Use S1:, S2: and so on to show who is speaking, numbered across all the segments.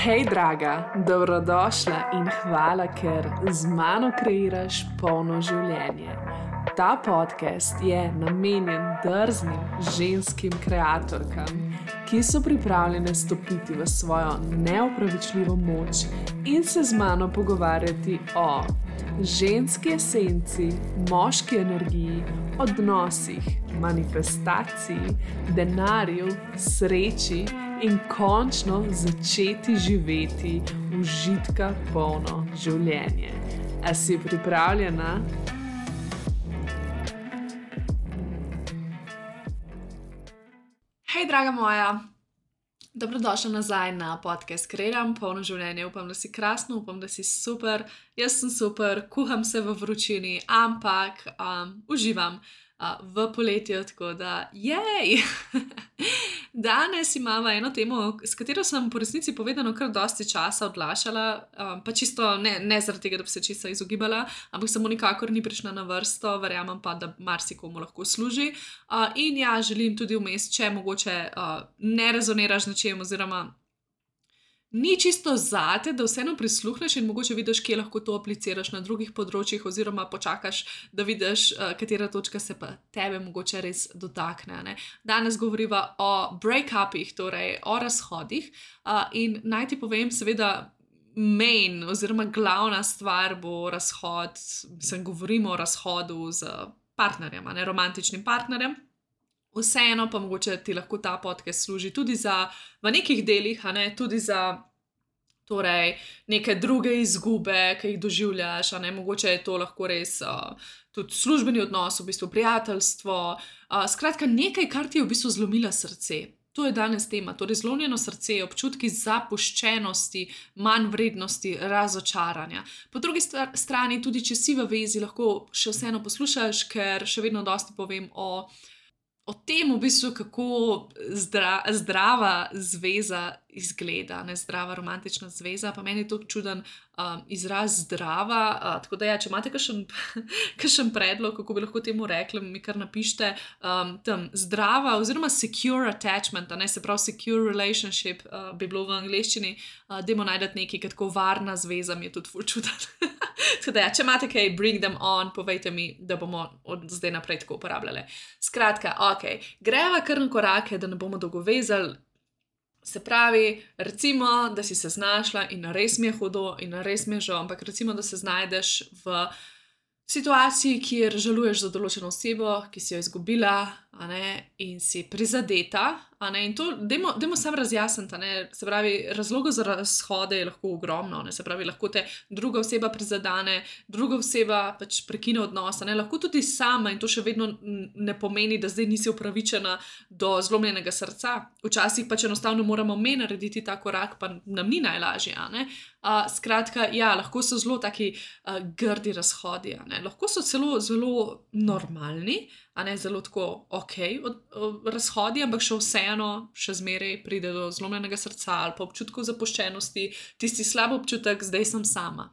S1: Hej, draga, dobrodošla in hvala, ker z mano kreiraš polno življenje. Ta podcast je namenjen drznim ženskim kreatorkam, ki so pripravljene stopiti v svojo neopravičljivo moč in se z mano pogovarjati o ženski esenci, moški energiji, odnosih, manifestaciji, denarju, sreči in končno začeti živeti užitka polno življenje. A si pripravljena? Hej, draga moja! Dobrodošla nazaj na podcast Kreiram polno življenje. Upam, da si krasno, upam, da si super. Jaz sem super, kuham se v vročini, ampak uživam v poletju, tako da jej! Danes imamo eno temo, s katero sem po resnici povedano kar dosti časa odlašala, pa čisto ne zaradi tega, da bi se čisto izogibala, ampak samo nikakor ni prišla na vrsto, verjamem pa, da marsikomu lahko služi. In ja, želim tudi vmes, če mogoče ne rezoniraš z nečem oziroma ni čisto zate, da vseeno prisluhneš in mogoče vidiš, kje lahko to apliciraš na drugih področjih oziroma počakaš, da vidiš, katera točka se pa tebe mogoče res dotakne. Ne? Danes govoriva o break-upih, torej o razhodih, in naj ti povem seveda main oziroma glavna stvar bo razhod, govorimo o razhodu z partnerjem, ne, romantičnim partnerjem. Vseeno pa mogoče ti lahko ta podcast služi tudi za, v nekih delih, tudi za torej, neke druge izgube, ki jih doživljaš, mogoče je to lahko res tudi službeni odnos, v bistvu prijateljstvo, skratka nekaj, kar ti je v bistvu zlomila srce. To je danes tema, torej zlomljeno srce, občutki zapuščenosti, manj vrednosti, razočaranja. Po drugi strani, tudi če si v vezi, lahko še vseeno poslušaš, ker še vedno dosti povem o tem, v bistvu, kako zdrava zveza izgleda, ne zdrava romantična zveza, pa meni je to čuden izraz zdrava, tako da ja, če imate kakšen predlog, kako bi lahko temu rekli, mi kar napište, tam zdrava oziroma secure attachment, se pravi secure relationship bi bilo v angleščini, dajmo najdeti nekaj, tako varna zveza mi je tudi ful čuden. Tako da ja, če imate kaj, bring them on, povejte mi, da bomo od zdaj naprej tako uporabljali. Skratka, greva kar na korake, da ne bomo dolgovezali. Se pravi, recimo, da si se znašla in res mi je hudo in res mi je žal, ampak recimo, da se znajdeš v situaciji, kjer žaluješ za določeno osebo, ki si jo izgubila, in si prizadeta, in to dajmo samo razjasniti, se pravi, razlogov za razhode je lahko ogromno, se pravi, lahko te druga oseba prizadane, druga oseba pač prekine odnos, lahko tudi sama, in to še vedno ne pomeni, da zdaj nisi upravičena do zlomljenega srca. Včasih pač enostavno moramo narediti ta korak, pa nam ni najlažje, skratka, ja, lahko so zelo taki grdi razhodi, lahko so celo zelo normalni, zelo tako razhodi, ampak še vseeno, še zmeraj pride do zlomljenega srca ali pa občutkov zapuščenosti, tisti slab občutek, zdaj sem sama.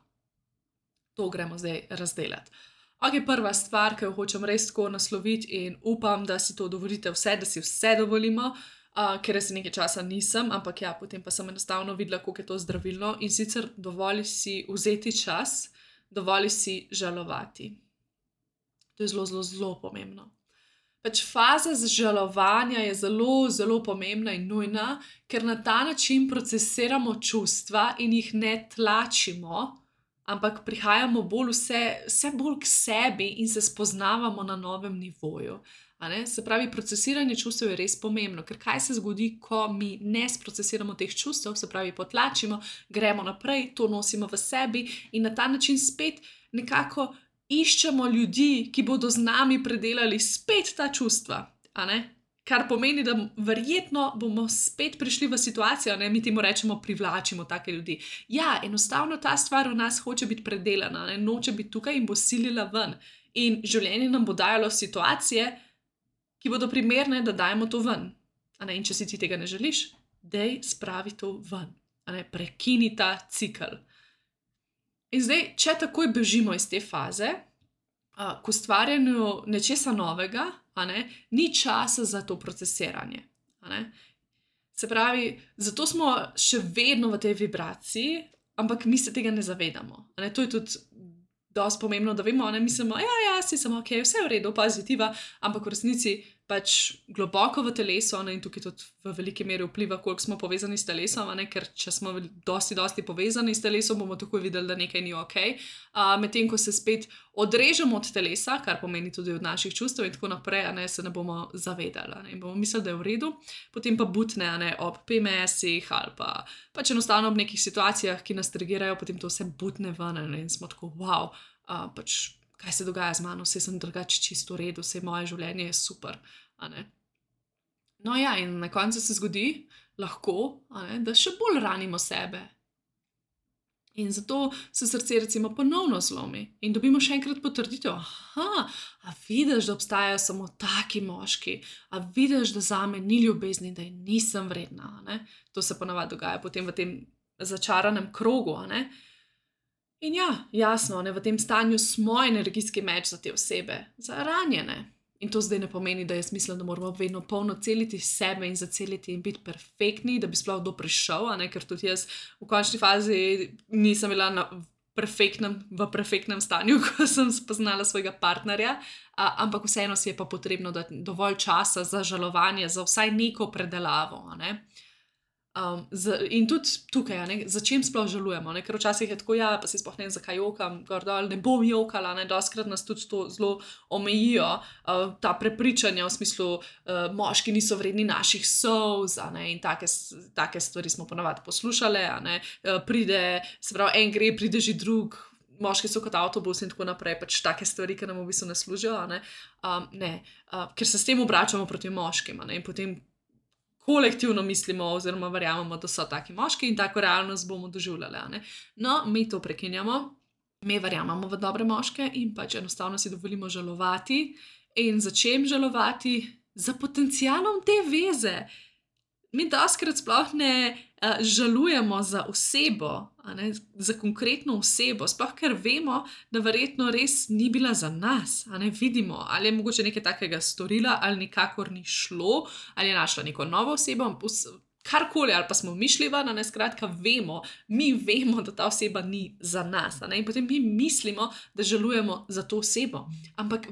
S1: To gremo zdaj razdelati. Prva stvar, ki jo hočem res tako nasloviti in upam, da si to dovolite vse, da si vse dovolimo, ker jaz nekaj časa nisem, ampak ja, potem pa sem enostavno videla, koliko je to zdravilno in sicer dovoli si vzeti čas, dovoli si žalovati. To je zelo, zelo, zelo pomembno. Pač faza žalovanja je zelo, zelo pomembna in nujna, ker na ta način procesiramo čustva in jih ne tlačimo, ampak prihajamo vse bolj k sebi in se spoznavamo na novem nivoju. Se pravi, procesiranje čustev je res pomembno, ker kaj se zgodi, ko mi ne sprocesiramo teh čustev, se pravi, potlačimo, gremo naprej, to nosimo v sebi in na ta način spet nekako iščemo ljudi, ki bodo z nami predelali spet ta čustva, kar pomeni, da verjetno bomo spet prišli v situacijo, mi temu rečemo privlačimo take ljudi. Ja, enostavno ta stvar v nas hoče biti predelana, noče biti tukaj in bo silila ven. In življenje nam bo dajalo situacije, ki bodo primerne, da dajemo to ven. In če si ti tega ne želiš, daj spravi to ven. Prekini ta cikel. In zdaj, če takoj bežimo iz te faze, k ustvarjanju nečesa novega, ni časa za to procesiranje. Se pravi, zato smo še vedno v tej vibraciji, ampak mi se tega ne zavedamo. To je tudi dosti pomembno, da vemo, mislimo, si samo ok, vse je v redu, pozitiva, ampak v resnici pač globoko v telesu, in tukaj tudi v veliki meri vpliva, koliko smo povezani s telesom, ker če smo dosti povezani s telesom, bomo takoj videli, da nekaj ni ok. Medtem ko se spet odrežemo od telesa, kar pomeni tudi od naših čustev in tako naprej, se ne bomo zavedali in bomo mislili, da je v redu, potem pa butne ob PMS-ih ali pa pač enostavno ob nekih situacijah, ki nas trigirajo, potem to vse butne ven in smo tako, wow, pač kaj se dogaja z mano, vse sem drugače čisto v redu, vse moje življenje je super. No ja, in na koncu se zgodi lahko, da še bolj ranimo sebe. In zato se srce recimo ponovno zlomi in dobimo še enkrat potrditev, a vidiš, da obstajajo samo taki moški, a vidiš, da zame ni ljubezni, da nisem vredna. To se ponavadi dogaja potem v tem začaranem krogu. In ja, jasno, v tem stanju smo energijski meč za te osebe, za ranjene. In to zdaj ne pomeni, da jaz mislim, da moramo vedno polno celiti sebe in zaceliti in biti perfektni, da bi sploh kdo prišel, ker tudi jaz v končni fazi nisem bila v perfektnem stanju, ko sem spoznala svojega partnerja, ampak vseeno si je pa potrebno dati dovolj časa za žalovanje, za vsaj neko predelavo. In tudi tukaj, za čim sploh žalujemo, ker včasih je tako, pa se sploh ne vem, zakaj jokam, gordol, ne bom jokala, dostikrat nas tudi to zelo omejijo, ta prepričanja v smislu, moški niso vredni naših solz, in take stvari smo ponavadi poslušale, pride, se pravi, en gre, pride že drug, moški so kot avtobus in tako naprej, pač take stvari, ki nam v bistvu ne služijo, ker se s tem obračamo proti moškim, in potem kolektivno mislimo oziroma verjamemo, da so taki moški in tako realnost bomo doživljali. No, mi to prekinjamo, mi verjamemo v dobre moške in pač enostavno si dovolimo žalovati. In za čem žalovati? Za potencialom te veze. Mi dostikrat sploh ne žalujemo za osebo, za konkretno osebo, sploh ker vemo, da verjetno res ni bila za nas. Vidimo, ali je mogoče nekaj takega storila, ali nikakor ni šlo, ali je našla neko novo osebo, karkoli, ali pa smo mišljiva, skratka vemo, mi vemo, da ta oseba ni za nas. In potem mi mislimo, da žalujemo za to osebo. Ampak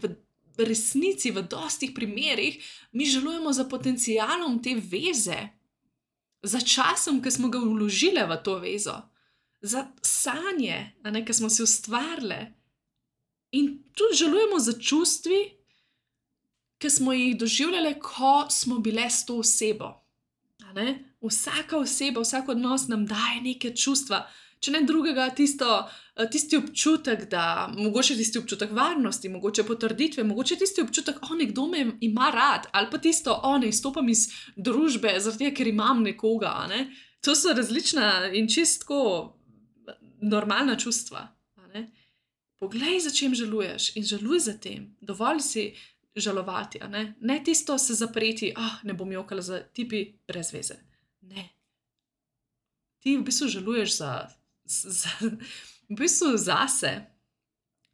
S1: v resnici, v dostih primerih, mi žalujemo za potencialom te veze, za časom, ki smo ga vložile v to vezo, za sanje, ki smo si ustvarile. In tudi žalujemo za čustvi, ki smo jih doživljale, ko smo bile s to osebo. Vsaka oseba, vsak odnos nam daje neke čustva, če ne drugega, tisti občutek, da mogoče tisti občutek varnosti, mogoče potrditve, mogoče tisti občutek, nekdo me ima rad, ali pa tisto, izstopam iz družbe, zaradi tega, ker imam nekoga. To so različna in čisto normalna čustva. Poglej, za čem žaluješ in žaluj za tem. Dovolj si žalovati. Ne tisto se zapreti, ne bom jokala za tipi brez veze. Ne. Ti v bistvu žaluješ v bistvu zase,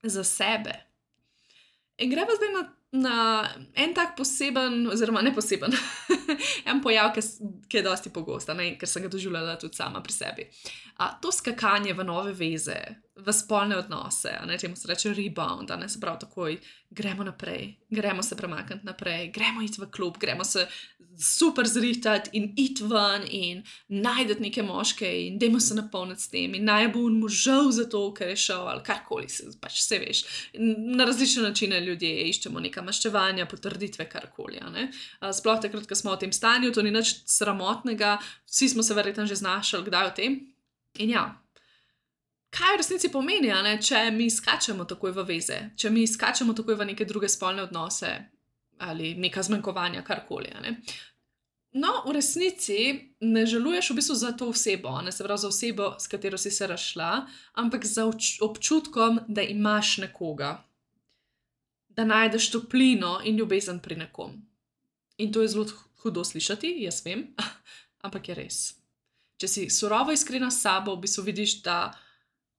S1: za sebe. In greva zdaj na en tak poseben, oziroma ne poseben, en pojav, ki je dosti pogost, ker sem ga doživljala tudi sama pri sebi. To skakanje v nove veze, v spolne odnose, temu se reče rebound, se pravi takoj, gremo naprej, gremo se premakniti naprej, gremo iti v klub, gremo se super zrihtati in iti ven in najdeti neke moške in dajmo se napolniti s tem in naj bo možal za to, ker je šel ali karkoli, pač vse veš. Na različne načine ljudje iščemo neka maščevanja, potrditve, karkoli. Sploh takrat, ko smo v tem stanju, to ni nič sramotnega, vsi smo se verjetno že znašali kdaj o tem. In ja, kaj v resnici pomeni, če mi skačemo takoj v veze, če mi skačemo takoj v neke druge spolne odnose ali neka zmanjkovanja, karkoli. No, v resnici ne žaluješ v bistvu za to osebo, se pravi za osebo, s katero si se razšla, ampak za občutkom, da imaš nekoga, da najdeš toplino in ljubezen pri nekom. In to je zelo hudo slišati, jaz vem, ampak je res. Če si surovo iskrena s sabo, v bistvu vidiš, da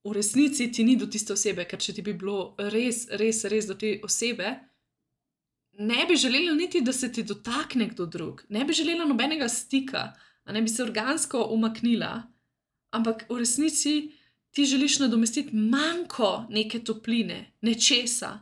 S1: v resnici ti ni do tiste osebe, ker če ti bi bilo res do te osebe, ne bi želela niti, da se ti dotakne kdo drug, ne bi želela nobenega stika, Bi se organsko umaknila, ampak v resnici ti želiš nadomestiti manjko neke topline, nečesa.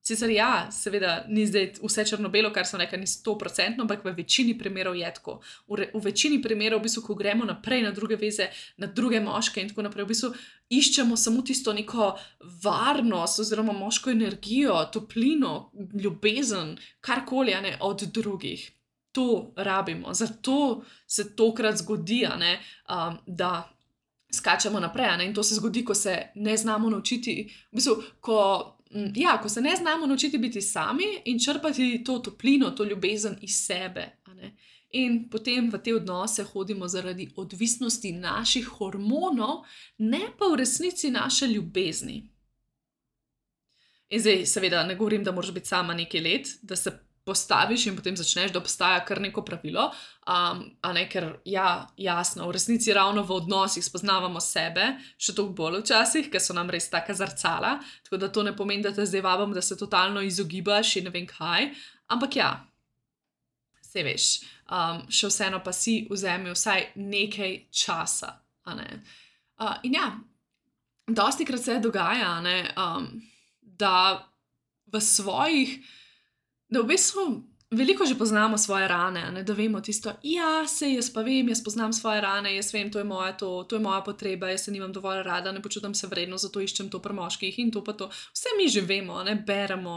S1: Sicer ja, seveda ni zdaj vse črno-belo, kar sem rekla, ni 100%, ampak v večini primerov je tako. V večini primerov, v bistvu, ko gremo naprej na druge veze, na druge moške in tako naprej, v bistvu iščemo samo tisto neko varnost oziroma moško energijo, toplino, ljubezen, karkoli od drugih. To rabimo, zato se tokrat zgodi, da skačemo naprej. In to se zgodi, ko se ne znamo naučiti, v bistvu, ko se ne znamo naučiti biti sami in črpati to toplino, to ljubezen iz sebe. In potem v te odnose hodimo zaradi odvisnosti naših hormonov, ne pa v resnici naše ljubezni. In zdaj, seveda, ne govorim, da moraš biti sama nekaj let, da se postaviš in potem začneš, da obstaja kar neko pravilo, ker jasno, v resnici ravno v odnosih spoznavamo sebe, še toliko bolj včasih, ker so nam res taka zrcala, tako da to ne pomeni, da te zdaj vabim, da se totalno izogibaš in ne vem kaj, ampak ja, saj veš, še vseeno pa si vzemi vsaj nekaj časa. In ja, dostikrat se dogaja, da v svojih, da v bistvu veliko že poznamo svoje rane, da vemo tisto, sej jaz pa vem, jaz poznam svoje rane, jaz vem, to je moja potreba, jaz se nimam dovolj rada, ne počutim se vredno, zato iščem to pri moških in to pa to. Vse mi že vemo,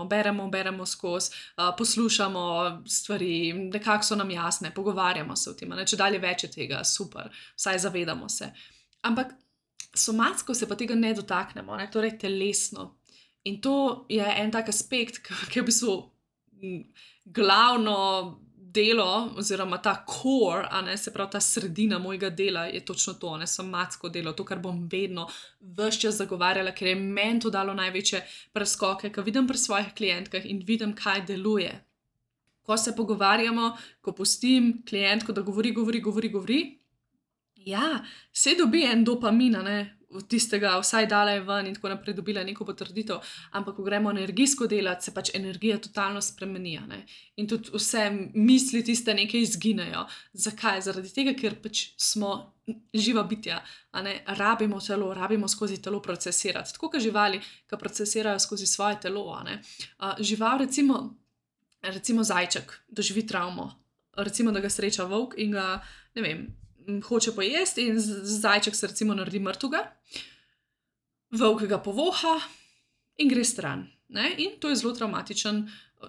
S1: beremo skozi, poslušamo stvari, nekako so nam jasne, pogovarjamo se o tem, če dalje več je tega, super, vsaj zavedamo se. Ampak somatsko se pa tega ne dotaknemo, torej telesno. In to je en tak aspekt, ki je v bistvu glavno delo, oziroma ta core, se pravi ta sredina mojega dela je točno to, somatsko delo, to, kar bom vedno ves čas zagovarjala, ker je meni to dalo največje preskoke, ko vidim pri svojih klientkah in vidim, kaj deluje. Ko se pogovarjamo, ko pustim klientko, da govori, se dobi en dopamin, od tistega vsaj dala je ven in tako naprej dobila neko potrditev, ampak ko gremo energijsko delati, se pač energija totalno spremeni, in tudi vse misli tiste nekaj izginejo. Zakaj? Zaradi tega, ker pač smo živa bitja, rabimo telo, rabimo skozi telo procesirati, tako kot živali, ki procesirajo skozi svoje telo, Žival, recimo zajček, doživi travmo, recimo, da ga sreča volk in ga, ne vem, hoče pojesti in zajček se recimo naredi mrtvega, volk ga povoha in gre stran. In to je zelo travmatičen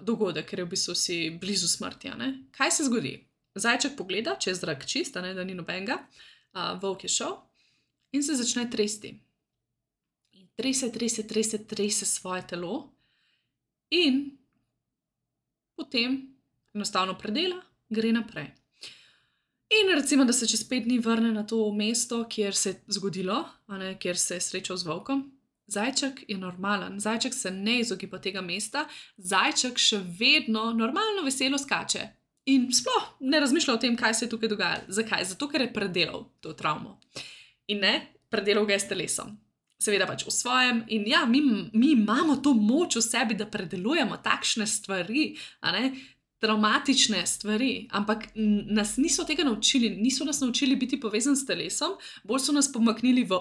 S1: dogodek, ker je v bistvu si blizu smrti. Kaj se zgodi? Zajček pogleda, če je zrak čist, da ni nobenega, volk je šel in se začne tresti. In trese svoje telo in potem enostavno predela, gre naprej. In recimo, da se čez 5 dni vrne na to mesto, kjer se je zgodilo, kjer se je srečal z volkom. Zajček je normalen, zajček se ne izogiba tega mesta, zajček še vedno normalno veselo skače. In sploh ne razmišlja o tem, kaj se je tukaj dogajalo. Zakaj? Zato, ker je predelal to travmo. In predelal ga je s telesom. Seveda pač v svojem. In ja, mi imamo to moč v sebi, da predelujemo takšne stvari, traumatične stvari, ampak nas niso tega naučili, niso nas naučili biti povezani s telesom, bolj so nas pomaknili v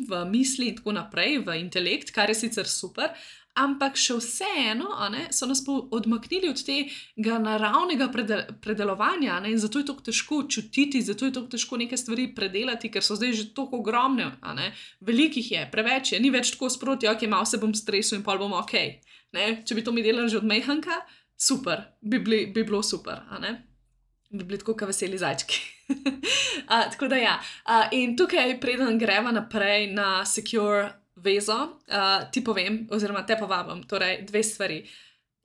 S1: v misli in tako naprej, v intelekt, kar je sicer super, ampak še vseeno so nas odmaknili od tega naravnega predelovanja, in zato je tako težko čutiti, zato je tako težko neke stvari predelati, ker so zdaj že tako ogromne, velikih je, preveč je, ni več tako sproti, malo se bom stresel in pol bom okej. Če bi to mi delali že od majhnka, super, bi bilo super, bi bili tako kot veseli zajčki. Tako da ja, in tukaj preden greva naprej na secure vezo, ti povem, oziroma te povabim, torej 2 stvari.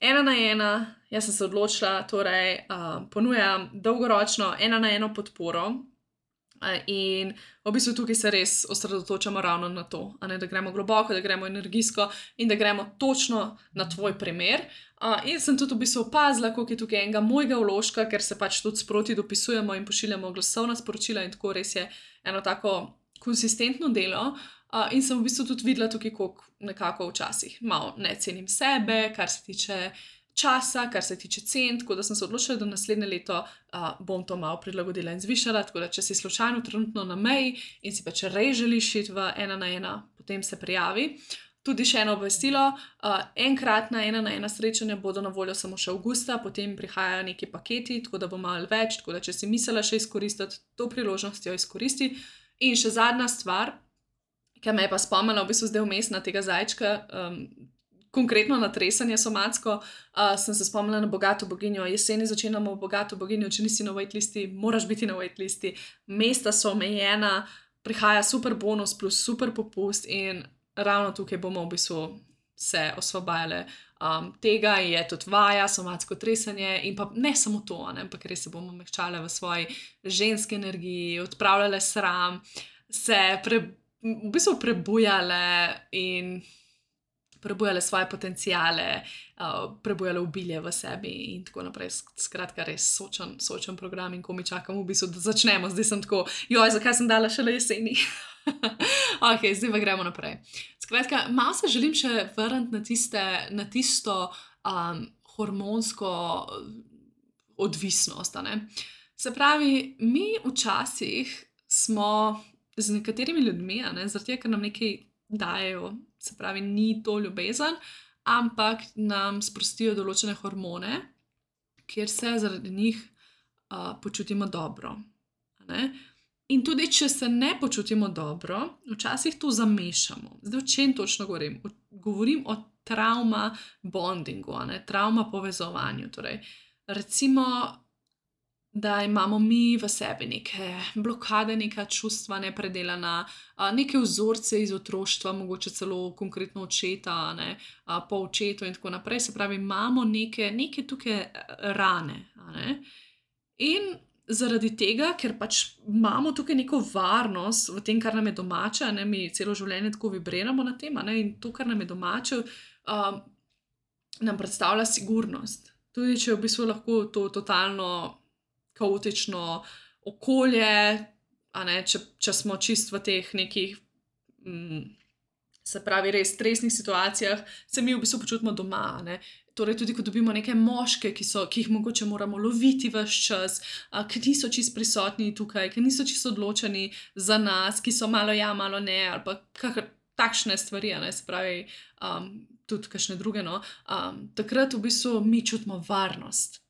S1: 1 na 1, jaz sem se odločila, torej ponujam dolgoročno 1 na 1 podporo, in v bistvu tukaj se res osredotočamo ravno na to, da gremo globoko, da gremo energijsko in da gremo točno na tvoj primer. In sem tudi v bistvu opazila, koliko je tukaj enega mojega vložka, ker se pač tudi sproti dopisujemo in pošiljamo glasovna sporočila in tako res je eno tako konsistentno delo. In sem v bistvu tudi videla tukaj, koliko nekako včasih malo ne cenim sebe, kar se tiče časa, kar se tiče cen, tako da sem se odločila, da naslednje leto bom to malo prilagodila in zvišala, tako da če si slučajno trenutno na meji in si pač res želiš iti v 1:1, potem se prijavi. Tudi še eno obvestilo, enkratna 1:1 srečanja bodo na voljo samo še avgusta, potem prihajajo neki paketi, tako da bo malo več, tako da če si mislila še izkoristiti to priložnost, jo izkoristi. In še zadnja stvar, ki me je pa spomnila v bistvu zdaj vmes na tega zajčka, konkretno na tresanje somatsko, sem se spomnila na Bogato boginjo. Jeseni začenjamo Bogato boginjo, če nisi na waitlisti, moraš biti na waitlisti. Mesta so omejena, prihaja super bonus plus super popust in ravno tukaj bomo v bistvu se osvobajale tega, je tudi vaja, somatsko tresanje in pa ne samo to, ampak res se bomo mehčale v svoji ženski energiji, odpravljale sram, se v bistvu prebujale in prebujale svoje potenciale, prebujale obilje v sebi in tako naprej. Skratka, res sočen program in ko mi čakam v bistvu, da začnemo. Zdaj sem tako, zakaj sem dala šele jeseni? Ok, zdaj pa gremo naprej. Skratka, malo se želim še vrniti na tisto hormonsko odvisnost. Se pravi, mi včasih smo z nekaterimi ljudmi, zaradi tega, ker nam nekaj dajejo, se pravi, ni to ljubezen, ampak nam sprostijo določene hormone, kjer se zaradi njih počutimo dobro. In tudi, če se ne počutimo dobro, včasih to zamešamo. Zdaj, o čem točno govorim? Govorim o travma bondingu, travma povezovanju. Torej, recimo, da imamo mi v sebi neke blokade, neka čustva nepredelana, neke vzorce iz otroštva, mogoče celo konkretno očeta, po očetu in tako naprej. Se pravi, imamo neke tukaj rane. In zaradi tega, ker pač imamo tukaj neko varnost v tem, kar nam je domače, mi celo življenje tako vibriramo na tem, in to, kar nam je domače, nam predstavlja sigurnost. Tudi, če je v bistvu lahko to totalno kaotično okolje, če smo čist v teh nekih, se pravi, res stresnih situacijah, se mi v bistvu počutimo doma. Torej, tudi ko dobimo neke moške, ki jih mogoče moramo loviti ves čas, ki niso čist prisotni tukaj, ki niso čist odločeni za nas, ki so malo ja, malo ne, ali pa takšne stvari, se pravi, tudi kakšne druge. Takrat v bistvu mi čutimo varnost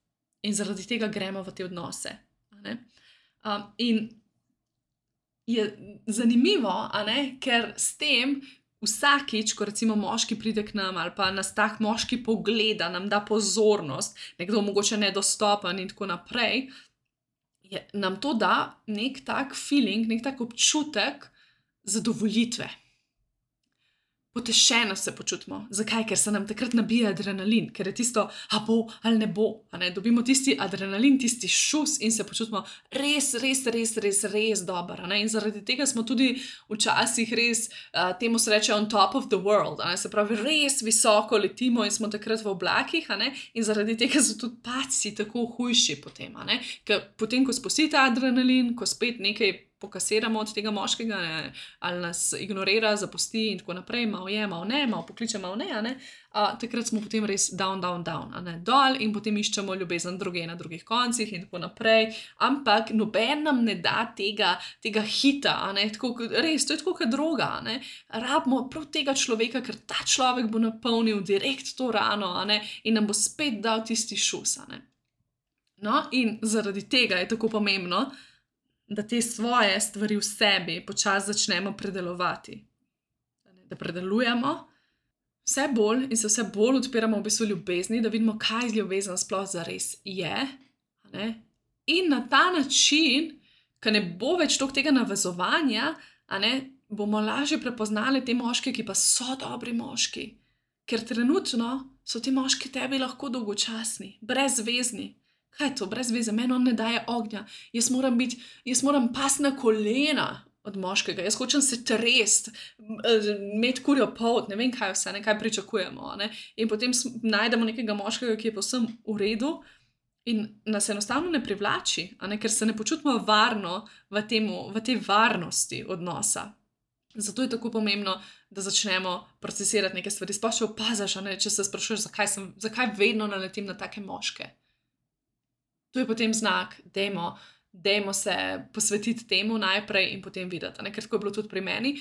S1: in zaradi tega gremo v te odnose. In je zanimivo, ker s tem vsakič, ko recimo moški pride k nam ali pa nas tak moški pogleda, nam da pozornost, nekdo mogoče nedostopen in tako naprej, nam to da nek tak feeling, nek tak občutek zadovoljitve. Potešeno se počutimo. Zakaj? Ker se nam takrat nabija adrenalin, ker je tisto, a bo ali ne bo. Dobimo tisti adrenalin, tisti šus in se počutimo res dobro. In zaradi tega smo tudi včasih res, temu se reče on top of the world. Se pravi, res visoko letimo in smo takrat v oblakih. In zaradi tega so tudi padci tako hujši potem. Ker potem, ko spustite adrenalin, ko spet nekaj pokasiramo od tega moškega, ali nas ignorira, zapusti in tako naprej, malo je, malo ne, malo pokliče, malo ne, takrat smo potem res down, dol in potem iščemo ljubezen druge na drugih koncih in tako naprej, ampak noben nam ne da tega hita, tako, res, to je tako kot droga, rabimo prav tega človeka, ker ta človek bo napolnil direkt to rano, in nam bo spet dal tisti šus, No, in zaradi tega je tako pomembno, da te svoje stvari v sebi počasi začnemo predelovati. Da predelujemo vse bolj in se vse bolj odpiramo v bistvu ljubezni, da vidimo, kaj ljubezen sploh zares je. In na ta način, ko ne bo več toliko tega navezovanja, bomo lažje prepoznali te moške, ki pa so dobri moški. Ker trenutno so ti moški tebi lahko dolgočasni, brezvezni. Kaj je to, brez veze, meni on ne daje ognja, jaz moram pasti na kolena od moškega, jaz hočem se trest, imeti kurjo polt, ne vem kaj vse, kaj pričakujemo. In potem najdemo nekega moškega, ki je povsem v redu in nas enostavno ne privlači, ker se ne počutimo varno v tej varnosti odnosa. Zato je tako pomembno, da začnemo procesirati neke stvari. Sploh če opaziš, če se sprašuješ, zakaj vedno naletim na take moške. To je potem znak, dajmo se posvetiti temu najprej in potem videti, ker tako je bilo tudi pri meni.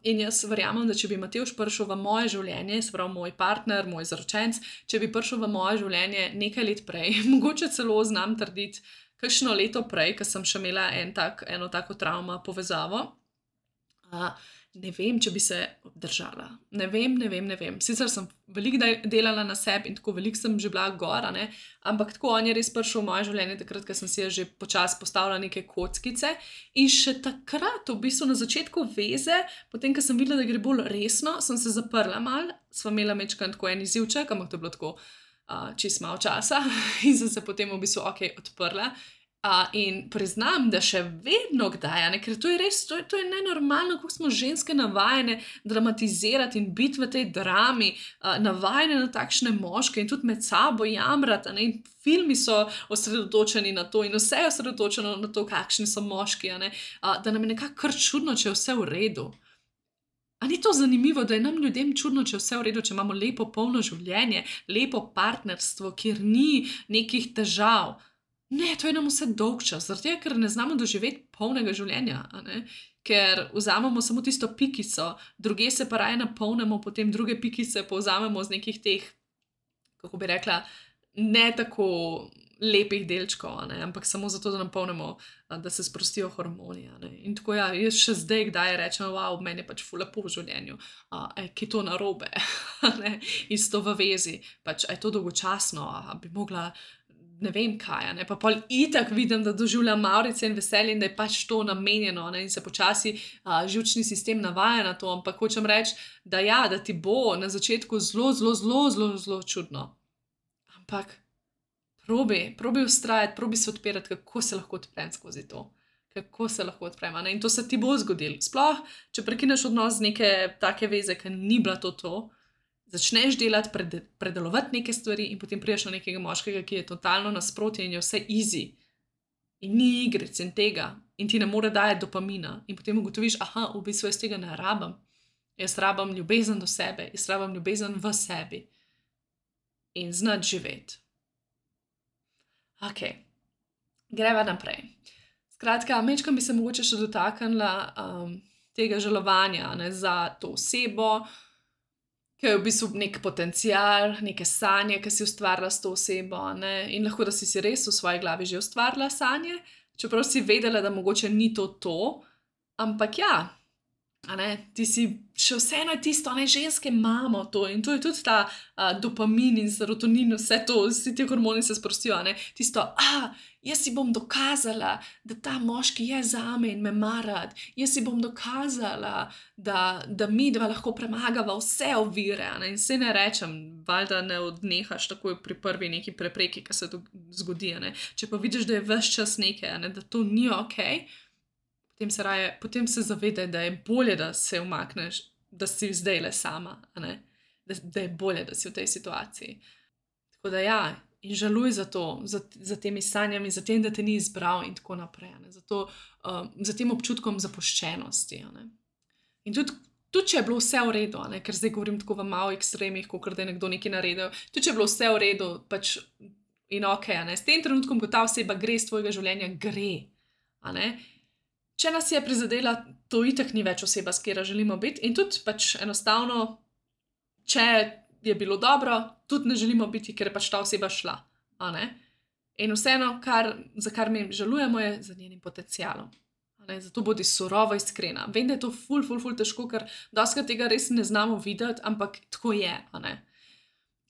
S1: In jaz verjamem, da če bi Matevž prišel v moje življenje, se pravi moj partner, moj zaročenec, če bi prišel v moje življenje nekaj let prej, mogoče celo znam trditi, kakšno leto prej, ko sem še imela eno tako travmo povezavo, ne vem, če bi se obdržala. Ne vem. Sicer sem veliko delala na sebi in tako veliko sem že bila gor, ampak tako on je res prišel v moje življenje takrat, ko sem si že počasi postavila neke kockice in še takrat, v bistvu na začetku veze, potem, ko sem videla, da gre bolj resno, sem se zaprla malo, sva imela majčkeno tako en izzivček, ampak to je bilo tako čisto malo časa in sem se potem v bistvu odprla. In priznam, da še vedno kdaj, ker to je res, to je nenormalno, kako smo ženske navajene dramatizirati in biti v tej drami, navajene na takšne moške in tudi med sabo jamrati, in filmi so osredotočeni na to in vse je osredotočeno na to, kakšni so moški, da nam je nekako kar čudno, če je vse v redu. A ni to zanimivo, da je nam ljudem čudno, če je vse v redu, če imamo lepo polno življenje, lepo partnerstvo, kjer ni nekih težav. Ne, to je nam vse dolg čas, zaradi tega, ker ne znamo doživeti polnega življenja, ker vzamemo samo tisto pikico, druge se pa raje napolnimo, potem druge pikice povzamemo z nekih teh, kako bi rekla, ne tako lepih delčkov, ampak samo zato, da napolnimo, da se sprostijo hormoni. In tako jaz še zdaj kdaj rečem, wow, meni je pač ful lepo v življenju, ki je to narobe, isto v vezi, pač, je to dolgočasno, bi mogla ne vem kaj, pa pol itak vidim, da doživljam mavrice in veselje in da je pač to namenjeno, in se počasi živčni sistem navaja na to, ampak hočem reči, da ti bo na začetku zelo čudno. Ampak probi vztrajati, probi se odpirati, kako se lahko odprem skozi to. Kako se lahko odprem, in to se ti bo zgodilo. Sploh, če prekineš odnos z neke take veze, ki ni bila to, začneš delati, predelovati neke stvari in potem prideš na nekega moškega, ki je totalno nasprotje in je vse easy. In ni igric in tega. In ti ne more dajati dopamina. In potem ugotoviš, v bistvu jaz tega ne rabim. Jaz rabim ljubezen do sebe. Jaz rabim ljubezen v sebi. In znati živeti. Ok. Greva naprej. Skratka, majčkeno bi se mogoče še dotaknila tega žalovanja, za to osebo, ki je v bistvu nek potencial, neke sanje, ki si ustvarila s to osebo, in lahko, da si res v svoji glavi že ustvarila sanje, čeprav si vedela, da mogoče ni to, ampak ti si še vseeno tisto, ženske imamo to in to je tudi ta dopamin in serotonin, vse to, vsi ti hormoni se sprostijo, tisto, jaz si bom dokazala, da ta moški je zame in me mara, jaz si bom dokazala, da mi dva lahko premagava vse ovire, in se ne rečem, valjda ne odnehaš takoj pri prvi neki prepreki, ki se to zgodi, če pa vidiš, da je ves čas nekaj, da to ni okej, potem se zavedaj, da je bolje, da se umakneš, da si zdaj le sama, da je bolje, da si v tej situaciji. Tako da in žaluj za to, za temi sanjami, za tem, da te ni izbral in tako naprej, za tem občutkom zapuščenosti. In tudi, če je bilo vse v redu, ker zdaj govorim tako v malo ekstremih, kot da je nekdo nekaj naredil, tudi, če je bilo vse v redu, pač in okej, s tem trenutkom, ko ta oseba gre iz tvojega življenja, gre, Če nas je prizadela, to itak ni več oseba, s katero želimo biti, in tudi pač enostavno, če je bilo dobro, tudi ne želimo biti, ker je pač ta oseba šla. In vseeno, za kar mi žalujemo, je za njenim potencialom. Zato bodi surovo iskrena. Vem, da je to ful težko, ker dostikrat tega res ne znamo videti, ampak tako je.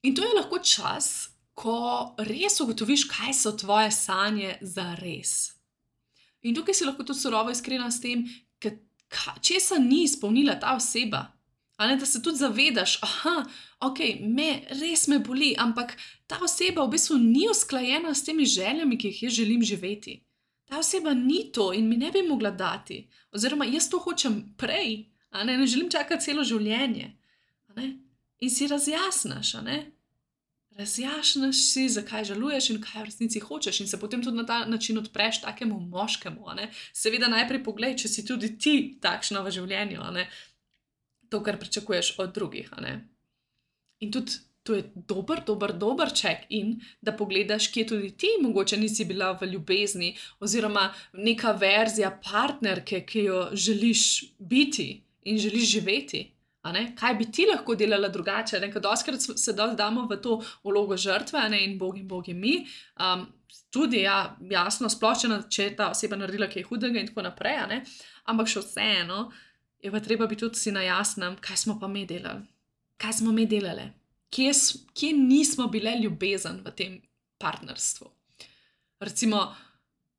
S1: In to je lahko čas, ko res ugotoviš, kaj so tvoje sanje za res. In tukaj si lahko tudi surovo iskrena s tem, česa ni izpolnila ta oseba. Da se tudi zavedaš, res me boli, ampak ta oseba v bistvu ni usklajena s temi željami, ki jih jaz želim živeti. Ta oseba ni to in mi ne bi mogla dati. Oziroma, jaz to hočem prej, ne želim čakati celo življenje. In si razjasnaš, razjasniš si, zakaj žaluješ in kaj v resnici hočeš, in se potem tudi na ta način odpreš takemu moškemu. Seveda najprej poglej, če si tudi ti takšna v življenju, to, kar pričakuješ od drugih. In tudi to je dober check-in, da pogledaš, kje tudi ti mogoče nisi bila v ljubezni oziroma neka verzija partnerke, ki jo želiš biti in želiš živeti. Kaj bi ti lahko delala drugače? Ker dostikrat se damo v to vlogo žrtve, in bogi mi. Tudi, jasno, splošno, če je ta oseba naredila kaj hudega in tako naprej, ampak še vseeno je pa treba biti tudi si na jasnem, kaj smo pa mi delali. Kaj smo mi delali? Kje nismo bile ljubezen v tem partnerstvu? Recimo,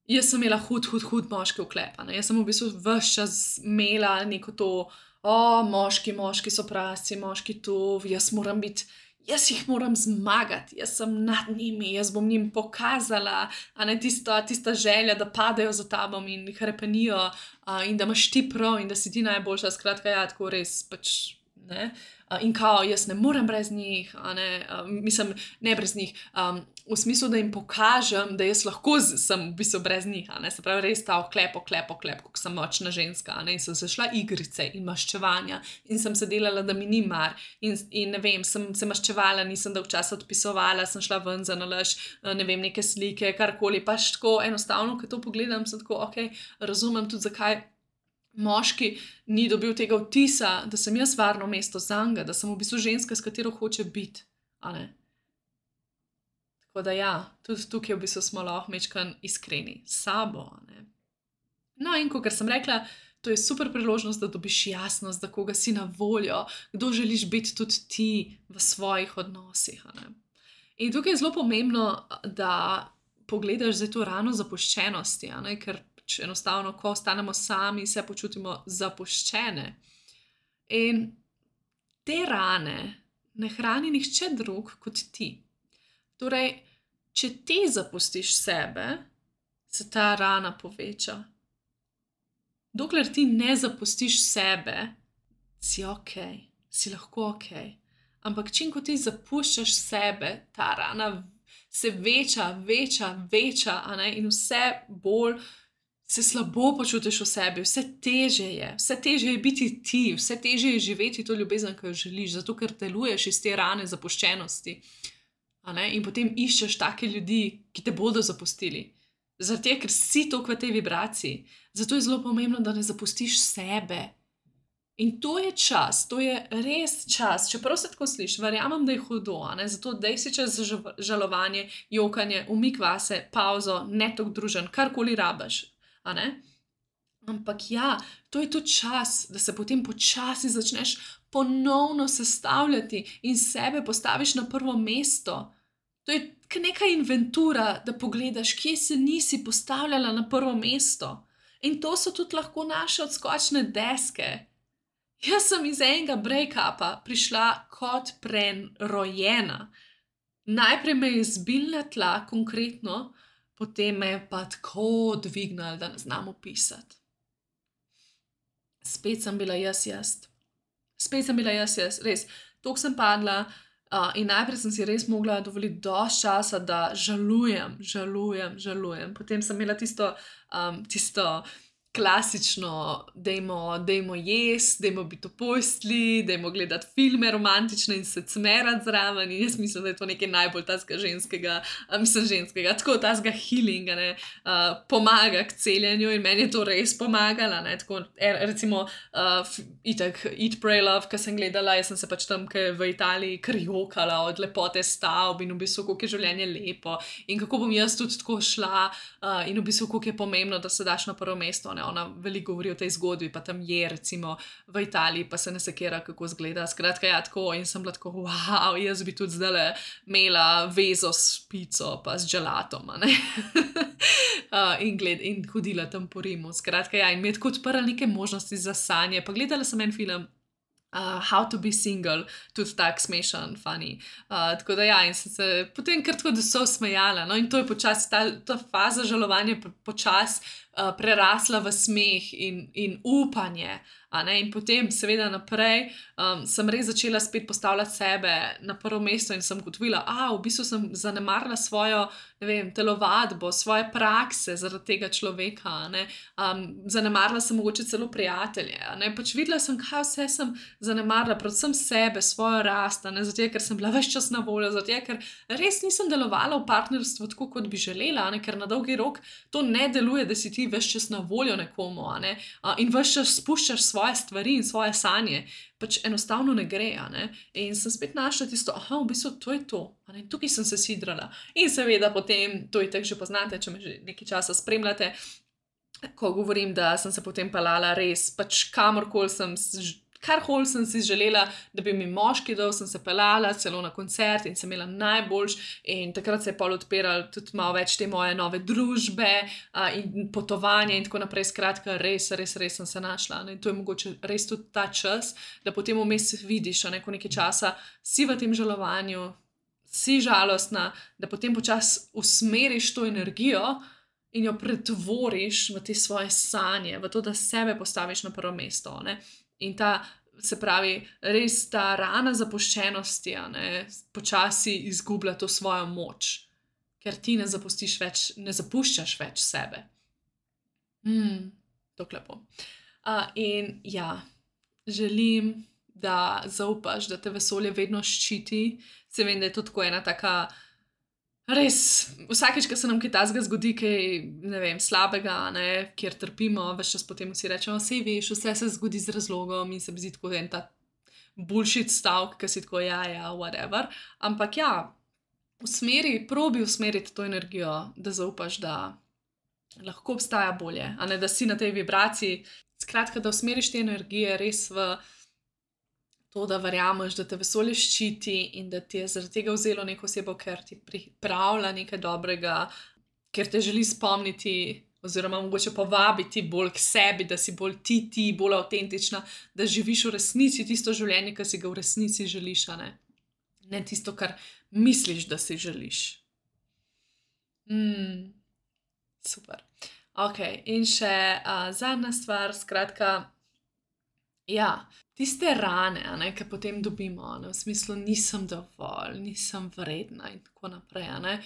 S1: jaz sem imela hud moški vklep. Jaz sem v bistvu ves čas imela neko to, moški so prasci, moški to, jaz jih moram zmagati, jaz sem nad njimi, jaz bom njim pokazala, tista želja, da padejo za tabo in hrepenijo, in da imaš ti prav in da si ti najboljša, skratka, tako res pač, in kao, jaz ne morem brez njih, mislim, ne brez njih, v smislu, da jim pokažem, da jaz lahko sem v bistvu brez njih, se pravi, res ta oklep, kako sem močna ženska, in sem se šla igrice in maščevanja in sem se delala, da mi ni mar in ne vem, sem se maščevala, nisem dolgo časa odpisovala, sem šla ven za nalaž, ne vem, neke slike, karkoli, pač tako enostavno, ko to pogledam, sem tako, razumem tudi, zakaj moški ni dobil tega vtisa, da sem jaz varno mesto zanj, da sem v bistvu ženska, s katero hoče biti. Tako da tudi tukaj v bistvu smo lahko majčkeno iskreni s sabo. No, in kot sem rekla, to je super priložnost, da dobiš jasnost, da koga si na voljo, kdo želiš biti tudi ti v svojih odnosih. In tukaj je zelo pomembno, da pogledaš zdaj to rano zapuščenosti, ker enostavno, ko ostanemo sami, se počutimo zapuščene. In te rane ne hrani nihče drug kot ti. Torej, če ti zapustiš sebe, se ta rana poveča. Dokler ti ne zapustiš sebe, si si lahko Ampak čim, ko ti zapuščaš sebe, ta rana se veča, in vse bolj se slabo počutiš v sebi, vse težje je biti ti, vse težje je živeti to ljubezen, ki jo želiš, zato ker deluješ iz te rane zapuščenosti. In potem iščeš take ljudi, ki te bodo zapustili. Zaradi tega, ker si toliko v tej vibraciji. Zato je zelo pomembno, da ne zapustiš sebe. In to je čas, to je res čas, čeprav se tako sliši, verjamem, da je hudo, zato daj si čas za žalovanje, jokanje, umik vase, pauzo, ne toliko družen, karkoli rabiš. Ampak to je tudi čas, da se potem počasi začneš ponovno sestavljati in sebe postaviš na prvo mesto. To je neka inventura, da pogledaš, kje se nisi postavljala na prvo mesto. In to so tudi lahko naše odskočne deske. Jaz sem iz enega break-upa prišla kot prerojena. Najprej me je zbil na tla, konkretno, potem me je pa tako dvignil, da ne znam opisati. Spet sem bila jaz. Res. Toliko sem padla in najprej sem si res mogla dovoliti dosti časa, da žalujem. Potem sem imela tisto klasično, dajmo jesti, dajmo biti v postelji, dajmo gledati filme romantične in se cmerati zraven. In jaz mislim, da je to nekaj najbolj tazga ženskega, tako tazga healinga, pomaga k celjenju in meni je to res pomagalo. Tako, recimo, itak Eat, Pray, Love, ki sem gledala, jaz sem se pač tam v Italiji kar jokala od lepote stavb in v bistvu, koliko je življenje lepo in kako bom jaz tudi tako šla in v bistvu, koliko je pomembno, da se daš na prvo mesto. Ona veliko govori o tej zgodbi, pa tam je recimo v Italiji, pa se ne sekira, kako izgleda. Skratka, tako in sem bila tako, wow, jaz bi tudi zdajle imela vezo s pico, pa s gelatom, in hodila tam po Rimu. Skratka, in mi je tako odprla neke možnosti za sanje. Pa gledala sem en film, How to be single, tudi tak smešen, funny. Tako da in sem se potem kar tako, da so smejala. In to je počasi, ta faza žalovanja počasi prerasla v smeh in upanje. In potem, seveda, naprej sem res začela spet postavljati sebe na prvo mesto in sem ugotovila, v bistvu sem zanemarila svojo, ne vem, telovadbo, svoje prakse zaradi tega človeka. Zanemarila sem mogoče celo prijatelje. Pač videla sem, kaj vse sem zanemarila, predvsem sebe, svojo rast, zato ker sem bila ves čas na voljo, zato ker res nisem delovala v partnerstvu tako, kot bi želela, ker na dolgi rok to ne deluje, da si ti ves čas na voljo nekomu, in ves čas spuščaš svoje stvari in svoje sanje. Pač enostavno ne gre. In sem spet našla tisto, v bistvu to je to. Tukaj sem se sidrala. In seveda potem, to itak že poznate, če me že nekaj časa spremljate, ko govorim, da sem se potem pelala res, pač karkoli sem si želela, da bi mi moški dal, sem se pelala celo na koncert in sem imela najboljš in takrat se je pol odpiralo tudi malo več te moje nove družbe in potovanja in tako naprej. Skratka, res sem se našla. In to je mogoče res tudi ta čas, da potem vmes vidiš, ko nekaj časa si v tem žalovanju, si žalostna, da potem počasi usmeriš to energijo in jo pretvoriš v te svoje sanje, v to, da sebe postaviš na prvo mesto. In se pravi, res ta rana zapuščenosti počasi izgublja to svojo moč, ker ti ne zapuščaš več sebe. Tako lepo. In ja, želim, da zaupaš, da te vesolje vedno ščiti. Se vem, da je to tako ena taka res, vsakeč, ko se nam kaj takega zgodi, kaj, ne vem, slabega, kjer trpimo, ves čas potem vsi rečemo, sej veš, vse se zgodi z razlogom in se mi zdi tako en ta bullshit stavek, ki si tako, whatever. Ampak probi usmeriti to energijo, da zaupaš, da lahko obstaja bolje, da si na tej vibraciji. Skratka, da usmeriš te energije res v to, da verjameš, da te vesolje ščiti in da ti je zaradi tega vzelo neko osebo, ker ti pripravlja nekaj dobrega, ker te želi spomniti oziroma mogoče povabiti bolj k sebi, da si bolj ti, bolj avtentična, da živiš v resnici tisto življenje, ki si ga v resnici želiš, ne tisto, kar misliš, da si želiš. Super. Okay, in še zadnja stvar, skratka, tiste rane, ki potem dobimo, v smislu nisem dovolj, nisem vredna in tako naprej.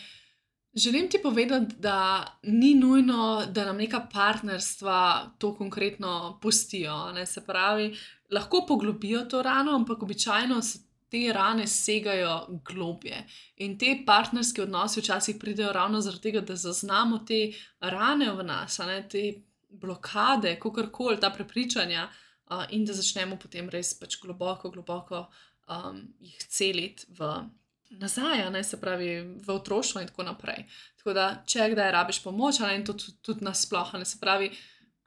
S1: Želim ti povedati, da ni nujno, da nam neka partnerstva to konkretno pustijo. Se pravi, lahko poglobijo to rano, ampak običajno te rane segajo globje. In te partnerski odnosi včasih pridejo ravno zaradi tega, da zaznamo te rane v nas, te blokade, kakorkoli, ta prepričanja, in da začnemo potem res pač globoko jih celiti nazaj, se pravi v otroštvo in tako naprej. Tako da, če kdaj rabiš pomoč, in to tudi nasploh, se pravi,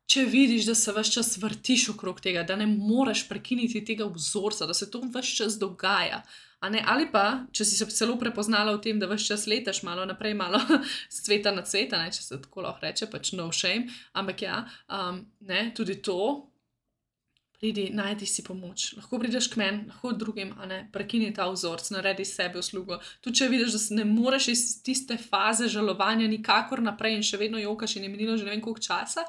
S1: če vidiš, da se ves čas vrtiš okrog tega, da ne moreš prekiniti tega vzorca, da se to ves čas dogaja, ali pa, če si se celo prepoznala v tem, da ves čas letaš malo naprej, malo s cveta na cvet, če se tako lahko reče, pač no shame, ampak tudi to, pridi, najdi si pomoč. Lahko prideš k meni, lahko drugim, prekini ta vzorc, naredi sebi uslugo. Tudi če vidiš, da ne moreš iz tiste faze žalovanja nikakor naprej in še vedno jokaš in je minilo že ne vem koliko časa,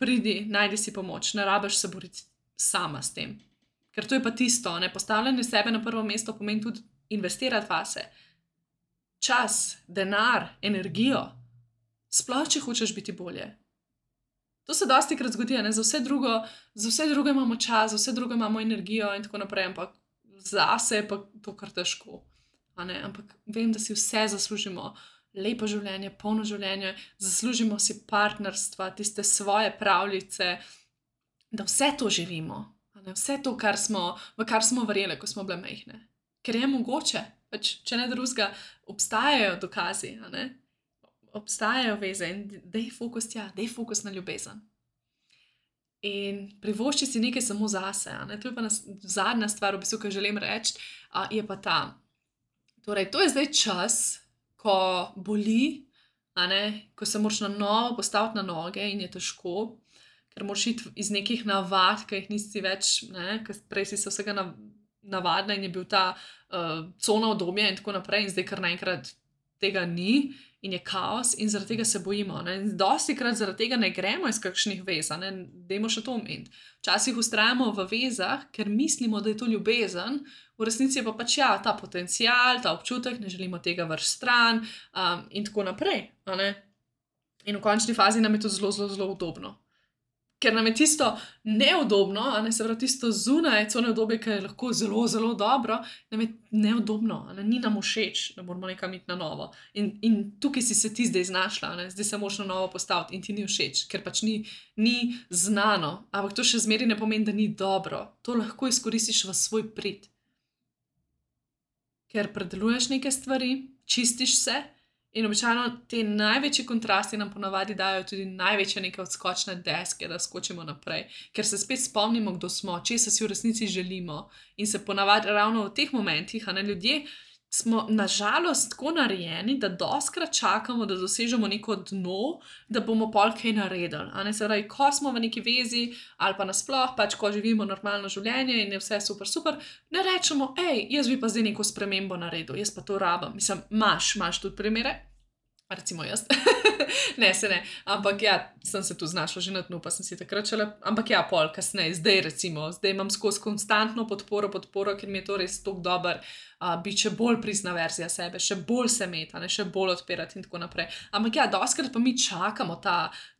S1: pridi, najdi si pomoč. Ne rabiš se boriti sama s tem. Ker to je pa tisto, postavljanje sebe na prvo mesto pomeni tudi investirati vase. Čas, denar, energijo. Sploh, če hočeš biti bolje. To se dostikrat zgodi, za vse druge imamo čas, za vse druge imamo energijo in tako naprej, ampak zase je pa to kar težko. Ampak vem, da si vse zaslužimo. Lepo življenje, polno življenje, zaslužimo si partnerstva, tiste svoje pravljice, da vse to živimo. Vse to, v kar smo verjeli, ko smo bile majhne. Ker je mogoče, pač, če ne drugega, obstajajo dokazi, obstajajo veze in daj fokus na ljubezen. In privošči si nekaj samo zase. To je pa zadnja stvar, v bistvu, ki želim reči, je pa ta. Torej, to je zdaj čas, ko boli, ko se moraš na novo postaviti na noge in je težko, ker moraš iti iz nekih navad, ki jih nisi več, ker prej si se vsega navadila in je bil ta cona udobja in tako naprej in zdaj kar naenkrat tega ni in je kaos in zaradi tega se bojimo. Ne? In dostikrat zaradi tega ne gremo iz kakšnih vez, ne? Dajmo še to omeniti. Včasih vztrajamo v vezah, ker mislimo, da je to ljubezen, v resnici je pa pač ta potencial, ta občutek, ne želimo tega vrš stran in tako naprej. In v končni fazi nam je to zelo, zelo, zelo udobno. Ker nam je tisto neudobno, se pravi tisto zunaj, co neudobje, ki je lahko zelo, zelo dobro, nam je neudobno, ni nam všeč, da moramo nekam iti na novo. In tukaj si se ti zdaj znašla, zdaj se moraš na novo postaviti in ti ni všeč, ker pač ni znano. Ampak to še zmeraj ne pomeni, da ni dobro. To lahko izkoristiš v svoj prid. Ker predeluješ neke stvari, čistiš se. In običajno te največji kontrasti nam ponavadi dajo tudi največje neke odskočne deske, da skočimo naprej. Ker se spet spomnimo, kdo smo, česa si v resnici želimo. In se ponavadi ravno v teh momentih, ljudje smo nažalost tako narejeni, da dostikrat čakamo, da dosežemo neko dno, da bomo pol kaj naredili. Se pravi, ko smo v neki vezi ali pa nasploh, pač ko živimo normalno življenje in je vse super, super, ne rečemo, jaz bi pa zdaj neko spremembo naredil, jaz pa to rabim. Mislim, imaš tudi primere? Recimo jaz. Ne, ampak sem se tu znašla že na dnu, pa sem si takrat šele, ampak pol kasneje, zdaj imam skozi konstantno podporo, ker mi je to res tako dober, biti še bolj prizna verzija sebe, še bolj se meta, še bolj odpirati in tako naprej. Ampak dostikrat pa mi čakamo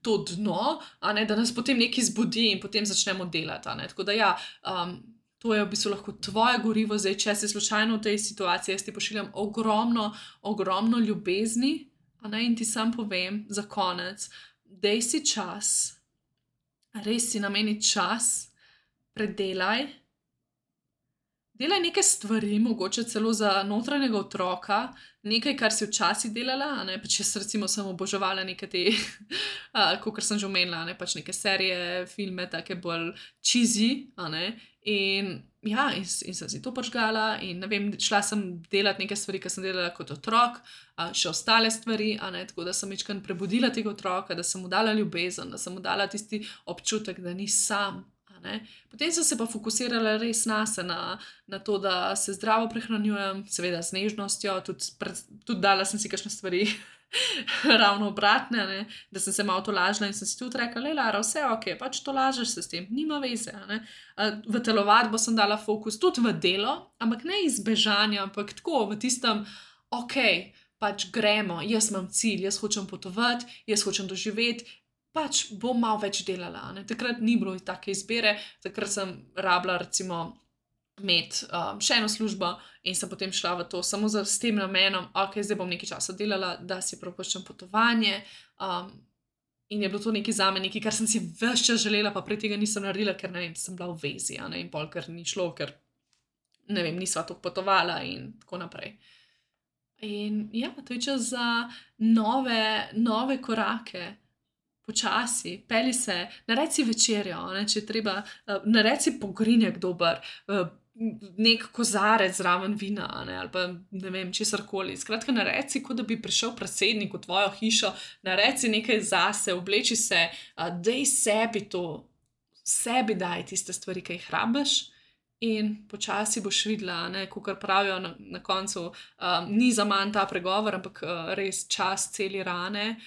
S1: to dno, da nas potem nekaj zbudi in potem začnemo delati. Tako da to je v bistvu lahko tvoje gorivo, zdaj, če si slučajno v tej situaciji, jaz ti pošiljam ogromno ljubezni, in ti sam povem za konec, daj si čas, res si nameni čas, predelaj, delaj neke stvari, mogoče celo za notranjega otroka, nekaj, kar si včasih delala, pač jaz recimo sem oboževala neke te, kakor sem že omenila, pač neke serije, filme, take bolj cheesy, in sem si to požgala in ne vem, šla sem delati neke stvari, ki sem delala kot otrok, še ostale stvari, tako da sem večkrat prebudila tega otroka, da sem mu dala ljubezen, da sem mu dala tisti občutek, da ni sam. Potem sem se pa fokusirala res nase, na to, da se zdravo prehranjujem, seveda z nežnostjo, tudi dala sem si kakšne stvari ravno obratne, da sem se malo tolažila in sem si tudi rekla, Lara, vse ok, pač tolažiš se s tem, nima veze. V telovadbo sem dala fokus, tudi v delo, ampak ne iz bežanja, ampak tako v tistem, ok, pač gremo, jaz imam cilj, jaz hočem potovati, jaz hočem doživeti, pač bom malo več delala. Takrat ni bilo take izbire, takrat sem rabila recimo imeti še eno službo in sem potem šla v to samo s tem namenom, ok, zdaj bom nekaj časa delala, da si privoščim potovanje in je bilo to nekaj zame, nekaj, kar sem si ves čas želela, pa prej tega nisem naredila, ker ne vem, sem bila v vezi in pol, ker ni šlo, ker ne vem, nisva toliko potovala in tako naprej. In to je čas za nove korake. Počasi, peli se, naredi si večerjo, če treba, naredi si pogrinjak dober, nek kozarec zraven vina, ali pa ne vem, česarkoli. Skratka, naredi si, kot da bi prišel predsednik v tvojo hišo, naredi si nekaj zase, obleči se, daj sebi daj tiste stvari, ki jih rabiš in počasi boš videla, kakor pravijo na koncu, ni zaman ta pregovor, ampak res čas celi rane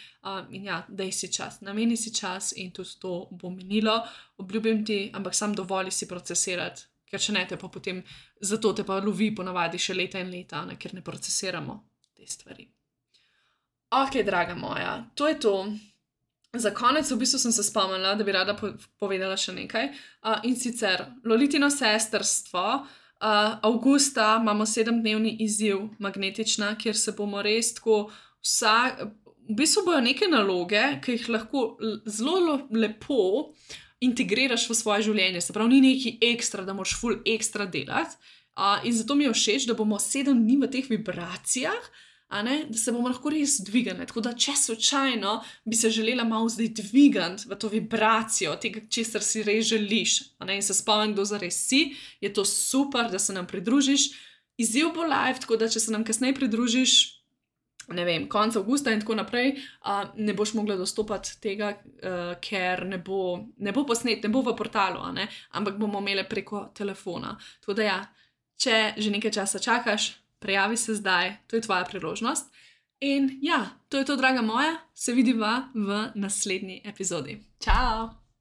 S1: in daj si čas, nameni si čas in tudi to bo minilo, obljubim ti, ampak sam dovolj si procesirati, ker če ne te pa potem, zato te pa lovi ponavadi še leta in leta, ker ne procesiramo te stvari. Ok, draga moja, to je to. Za konec v bistvu sem se spomnila, da bi rada povedala še nekaj. In sicer Lolitino sestrstvo, avgusta imamo 7-dnevni izziv Magnetična, kjer se bomo res tako v bistvu bojo neke naloge, ki jih lahko zelo lepo integriraš v svoje življenje. Se pravi, ni neki ekstra, da moraš ful ekstra delati. In zato mi je všeč, da bomo 7 dni v teh vibracijah, da se bomo lahko res dvigali. Tako da, če slučajno bi se želela malo zdaj dvigati v to vibracijo, tega, česar si res želiš, in se spomnim, kdo zares si, je to super, da se nam pridružiš. Izziv bo live, tako da, če se nam kasneje pridružiš, ne vem, konec avgusta in tako naprej, ne boš mogla dostopati tega, ker ne bo posnet, ne bo v portalu, ampak bomo imeli preko telefona. Tako da če že nekaj časa čakaš, prijavi se zdaj, to je tvoja priložnost. In ja, to je to, draga moja, se vidiva v naslednji epizodi. Čau!